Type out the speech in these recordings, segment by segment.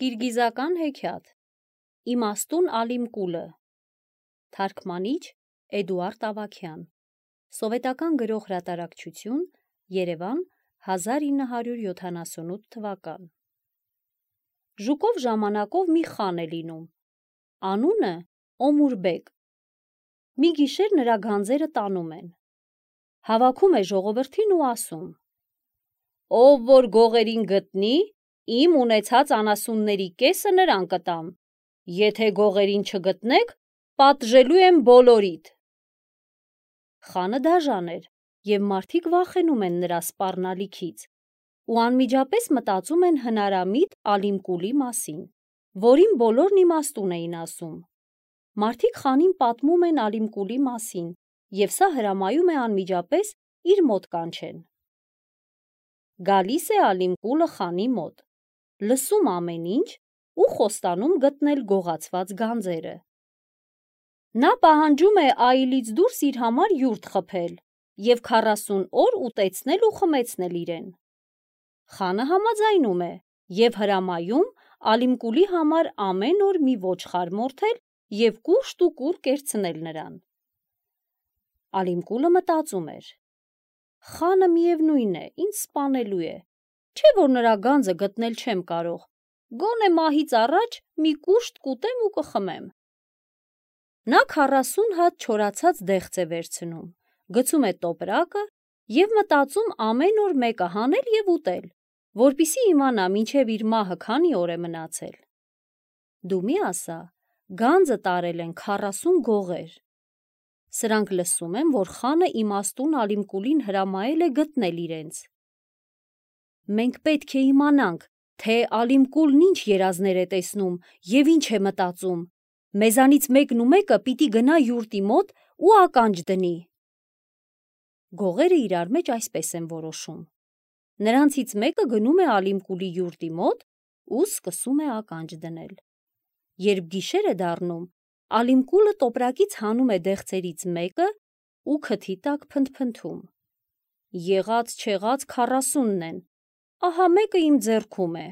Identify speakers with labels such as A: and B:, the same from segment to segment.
A: Կիրգիզական հեքիաթ Իմաստուն Ալիմկուլը Թարգմանիչ Էդուարդ Ավագյան Սովետական գրող հրատարակչություն Երևան 1978 թվական Ժուկով ժամանակով մի խան է լինում Անունը Օմուրբեկ Մի գիշեր նրա գանձերը տանում են Հավաքում է ժողովրդին ու ասում Ով որ գողերին գտնի Իմ ունեցած անասունների կեսը նրան կտամ, եթե գողերին չգտնեք, պատժելու եմ բոլորիդ։ Խանը դաժան էր, և մարդիկ վախենում են նրա սպառնալիքից, ու անմիջապես մտածում են հնարամիտ Ալիմկուլի մասին, որին բոլորն իմաստուն էին ասում։ Մարդիկ խանին պատմում են Ալիմկուլի մասին, և սա հրամայում է անմիջապես իր մոտ կանչեն։ Գալիս է Ալիմկուլը խանի մոտ։ Լսում ամեն ինչ ու խոստանում գտնել գողացված գանձերը։ Նա պահանջում է այլից դուրս իր համար յուրտ խփել և 40 օր ուտեցնել ու խմեցնել իրեն։ Խանը համաձայնում է և հրամայում Ալիմկուլի համար ամեն օր մի ոչխար մորթել և կուշտ ու կուռ կերցնել նրան։ Ալիմկուլը մտածում էր. Խանը միևնույն է, ինձ սպանելու է, չէ՞ որ նրա գանձը գտնել չեմ կարող, գոնե մահից առաջ մի կուշտ կուտեմ ու կխմեմ։ Նա 40 հատ չորացած դեղց է վերցնում, գցում է տոպրակը և մտածում ամեն օր մեկը հանել և ուտել, որպեսզի իմանա մինչև իր մահը քանի օր է մնացել։ Դու մի ասա, գանձը տարել են 40 գողեր։ Սրանք լսում են, որ խանը իմաստուն Ալիմկուլին հրամայել է գտնել իրենց։ Մենք պետք է իմանանք, թե Ալիմկուլն ինչ երազներ է տեսնում և ինչ է մտածում։ Մեզանից մեկն ու մեկը պիտի գնա յուրտի մոտ ու ականջ դնի։ Գողերը իրար մեջ այսպես են որոշում։ Նրանցից մեկը գնում է Ալիմկուլի յուրտի մոտ ու սկսում է ականջ դնել։ Երբ գիշեր է դառնում, Ալիմկուլը տոպրակից հանում է դեղցերից մեկը ու քթի տակ փնթփնթում։ Եղած-չեղած 40-ն են, ահա մեկը իմ ձեռքում է։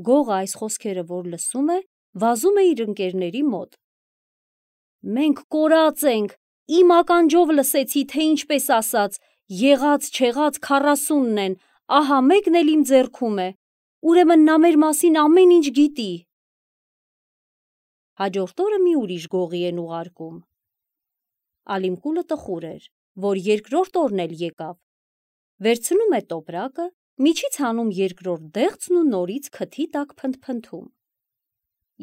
A: Գողը այս խոսքերը որ լսում է, վազում է իր ընկերների մոտ։ Մենք կորած ենք, իմ ականջով լսեցի, թե ինչպես ասաց, եղած-չեղած 40-ն են, ահա մեկն էլ իմ ձեռքում է, ուրեմն նա մեր մասին ամեն ինչ գիտի։ Հաջորդ օրը մի ուրիշ գողի են ուղարկում։ Ալիմկուլը տխուր էր, որ երկրորդ օրն էլ եկավ։ Վերցնում է տոպրակը, միջից հանում երկրորդ դեղցն ու նորից քթի տակ փնթփնթում։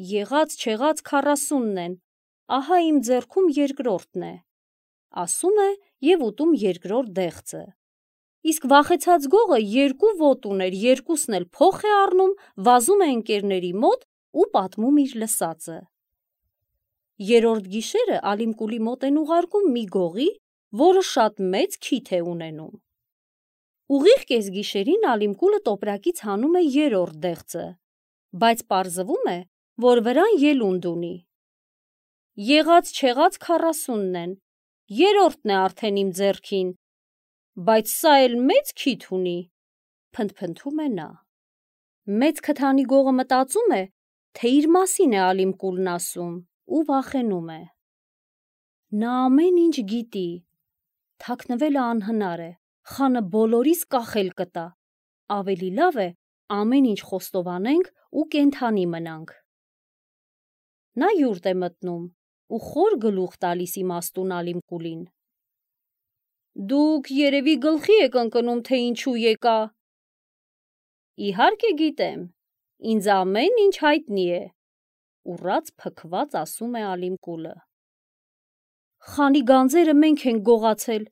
A: Եղած-չեղած 40-ն են, ահա իմ ձեռքում երկրորդն է, ասում է և ուտում երկրորդ դեղցը։ Իսկ վախեցած գողը երկու ոտք ուներ, երկուսն էլ փոխ է առնում, վազում է ընկերների մոտ ու պատմում իր լսածը։ Երրորդ գիշերը Ալիմկուլի մոտ են ուղարկում մի գողի, որը շատ մեծ քիթ է ունենում։ Ուղիղ կեսգիշերին Ալիմկուլը տոպրակից հանում է երրորդ դեղցը, բայց պարզվում է, որ վրան ելունդ ունի։ Եղած-չեղած 40-ն են, երրորդն է արդեն իմ ձեռքին, բայց սա էլ մեծ քիթ ունի, փնթփնթում է նա։ Մեծ քթանի գողը մտածում է, թե իր մասին է Ալիմկուլն ասում ու վախենում է։ Նա ամեն ինչ գիտի, թաքնվելը անհնար է, խանը բոլորիս կախել կտա, ավելի լավ է ամեն ինչ խոստովանենք ու կենդանի մնանք։ Նա յուրտ է մտնում ու խոր գլուխ տալիս իմաստուն Ալիմկուլին։ Դուք երևի գլխի եք ընկնում, թե ինչու եկա։ Իհարկե գիտեմ, ինձ ամեն ինչ հայտնի է, ուռած փքված ասում է Ալիմկուլը։ Խանի գանձերը մենք ենք գողացել,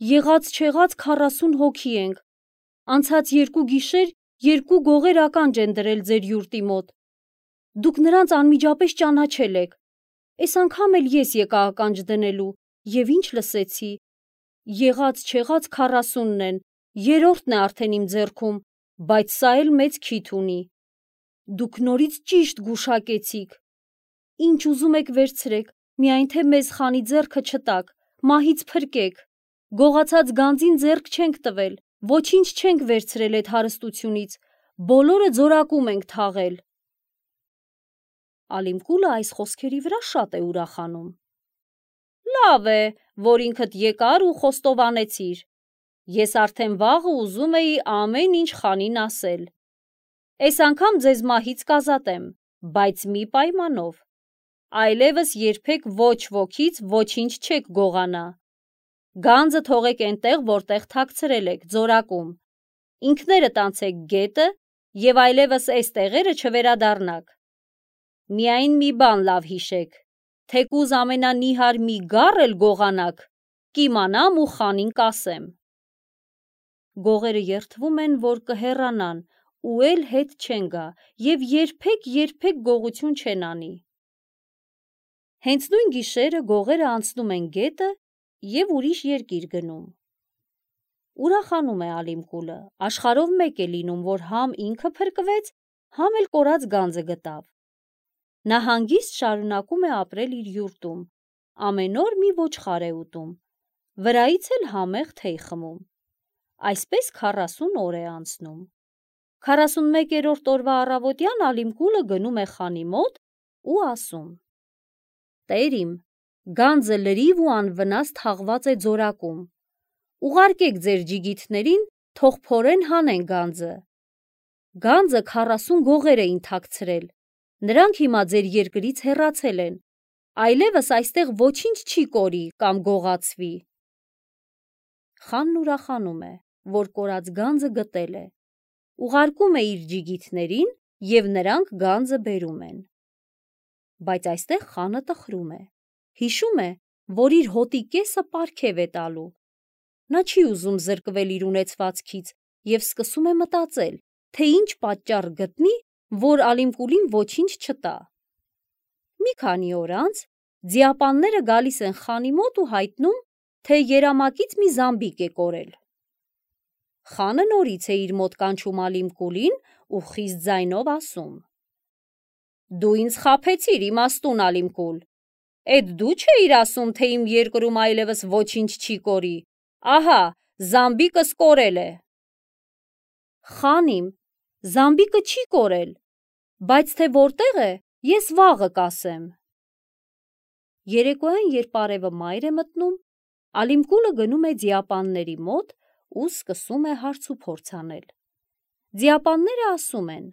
A: եղած-չեղած 40 հոգի ենք, անցած 2 գիշեր 2 գողեր ականջ են դրել ձեր յուրտի մոտ, դուք նրանց անմիջապես ճանաչել եք, էս անգամ էլ ես եկա ականջ դնելու և ինչ լսեցի, եղած-չեղած 40-ն են, երրորդն է արդեն իմ ձեռքում, բայց սա էլ մեծ քիթ ունի, դուք նորից ճիշտ գուշակեցիք, ինչ ուզում եք վերցրեք, միայն թե մեզ խանի ձեռքը չտաք, մահից փրկեք, գողացած գանձին ձեռք չենք տվել, ոչինչ չենք վերցրել էդ հարստությունից, բոլորը ձորակում ենք թաղել։ Ալիմկուլը այս խոսքերի վրա շատ է ուրախանում։ Լավ է, որ ինքդ եկար ու խոստովանեցիր։ Ես արդեն վաղը ուզում էի ամեն ինչ խանին ասել։ Այս անգամ ձեզ մահից կազատեմ, բայց մի պայմանով։ Այլևս երբեք ոչ ոքից ոչինչ չեք գողանա։ Գանձը թողեք այնտեղ, որտեղ թաքցրել եք, ձորակում։ Ինքներդ անցեք գետը և այլևս այս տեղերը չվերադառնաք։ Միայն մի բան լավ հիշեք, թեկուզ ամենանիհար մի գառ էլ գողանաք, կիմանամ ու խանին կասեմ։ Գողերը երդվում են, որ կհեռանան ու էլ հետ չեն գա և երբեք գողություն չեն անի։ Հենց նույն գիշերը գողերը անցնում են գետը և ուրիշ երկիր գնում։ Ուրախանում է Ալիմկուլը, աշխարհով մեկ է լինում, որ համ ինքը փրկվեց, համ էլ կորած գանձը գտավ։ Նա հանգիստ շարունակում է ապրել իր յուրտում, ամեն օր մի ոչխար է ուտում, վրայից էլ համեղ թեյ խմում։ Այսպես 40 օր է անցնում։ 41-րդ օրվա առավոտյան Ալիմկուլը գնում է խանի մոտ ու ասում. Տեր իմ, գանձը լրիվ ու անվնաս թաղված է ձորակում։ Ուղարկեք ձեր ջիգիթներին, թող փորեն հանեն գանձը։ Գանձը 40 գողեր էին թաքցրել, նրանք հիմա ձեր երկրից հեռացել են, այլևս այստեղ ոչինչ չի կորի կամ գողացվի։ Խանն ուրախանում է, որ կորած գանձը գտել է, ուղարկում է իր ջիգիթներին և նրանք գանձը բերում են։ Բայց այստեղ խանը տխրում է, հիշում է, որ իր հոտի կեսը պարգև է տալու։ Նա չի ուզում զրկվել իր ունեցվածքից և սկսում է մտածել, թե ինչ պատճառ գտնի, որ Ալիմկուլին ոչինչ չտա։ Մի քանի օր անց ձիապանները գալիս են խանի մոտ ու հայտնում, թե երամակից մի զամբիկ է կորել։ Խանը նորից է իր մոտ կանչում Ալիմկուլին ու խիստ ձայնով ասում. Դու ինձ խաբեցիր, իմաստուն Ալիմկուլ, էդ դու չէիր ասում, թե իմ երկրում այլևս ոչինչ չի կորի, ահա, զամբիկս կորել է։ Խան իմ, զամբիկը չի կորել, բայց թե որտեղ է, ես վաղը կասեմ։ Երեկոյան, երբ արևը մայր է մտնում, Ալիմկուլը գնում է ձիապանների մոտ ու սկսում է հարց ու փորձ անել։ Ձիապանները ասում են.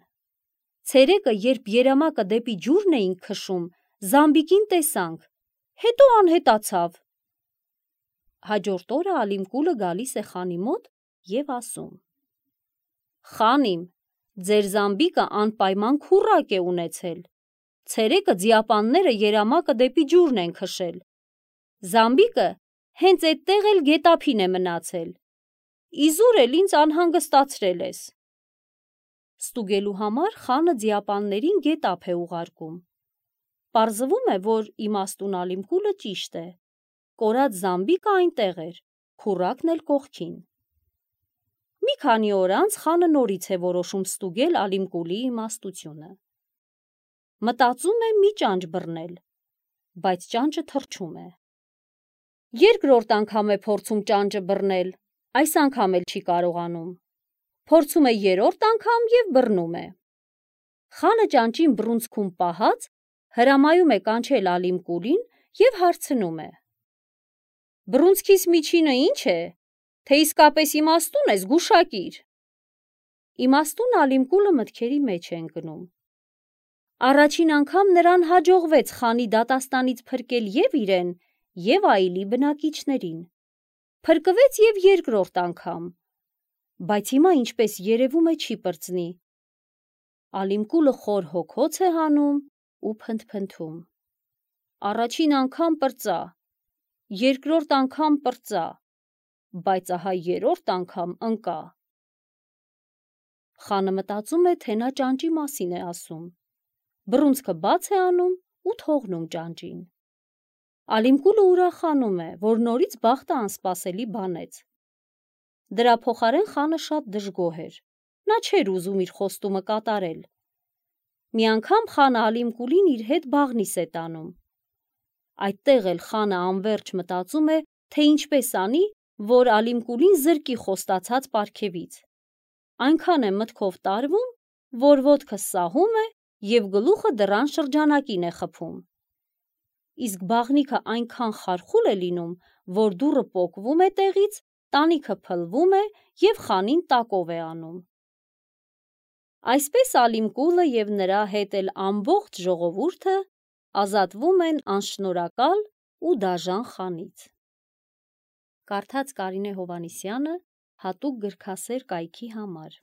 A: Ցերեկը, երբ երամակը դեպի ջուրն էինք քշում, զամբիկին տեսանք, հետո անհետացավ։ Հաջորդ օրը Ալիմկուլը գալիս է խանի մոտ և ասում. Խան իմ, ձեր զամբիկը անպայման քուռակ է ունեցել։ Ցերեկը ձիապանները երամակը դեպի ջուրն են քշել։ Զամբիկը հենց էդտեղ էլ գետափին է մնացել։ Իզուր էլ ինձ անհանգստացրել ես։ Ստուգելու համար խանը ձիապաններին գետափ է ուղարկում։ Պարզվում է, որ իմաստուն Ալիմկուլը ճիշտ է։ Կորած զամբիկը այնտեղ էր, քուռակն էլ կողքին։ Մի քանի օր անց խանը նորից է որոշում ստուգել Ալիմկուլի իմաստությունը։ Մտածում է մի ճանճ բռնել, բայց ճանճը թռչում է։ Երկրորդ անգամ է փորձում ճանճը բռնել, այս անգամ էլ չի կարողանում։ Փորձում է երրորդ անգամ և բռնում է։ Խանը ճանճին բռունցքում պահած հրամայում է կանչել Ալիմկուլին և հարցնում է. Բռունցքիս միջինը ի՞նչ է, թե իսկապես իմաստուն ես, գուշակիր։ Իմաստուն Ալիմկուլը մտքերի մեջ է ընկնում։ Առաջին անգամ նրան հաջողվեց խանի դատաստանից փրկել և իրեն, և այլի բնակիչներին։ Փրկվեց և երկրորդ անգամ, բայց հիմա, ինչպես երևում է, չի պրծնի։ Ալիմկուլը խոր հոգոց է հանում ու փնթփնթում. Առաջին անգամ պրծա, երկրորդ անգամ պրծա, բայց ահա երրորդ անգամ ընկա։ Խանը մտածում է, թե նա ճանճի մասին է ասում։ Բռունցքը բաց է անում ու թողնում ճանճին։ Ալիմկուլը ուրախանում է, որ նորից բախտը անսպասելի բանեց։ Դրա փոխարեն խանը շատ դժգոհ էր։ Նա չէր ուզում իր խոստումը կատարել։ Մի անգամ խանը Ալիմկուլին իր հետ բաղնիս է տանում։ Այդտեղ էլ խանը անվերջ մտածում է, թե ինչպես անի, որ Ալիմկուլին զրկի խոստացած պարգևից։ Այնքան է մտքով տարվում, որ ոտքը սահում է և գլուխը դռան շրջանակին է խփում։ Իսկ բաղնիքը այնքան խարխուլ է լինում, որ դուռը պոկվում է տեղից, տանիքը փլվում է և խանին տակով է անում։ Այսպես Ալիմկուլը և նրա հետ էլ ամբողջ ժողովուրդը ազատվում են անշնորհակալ ու դաժան խանից։ Կարդաց Կարինե Հովհաննիսյանը հատուկ գրքասեր կայքի համար։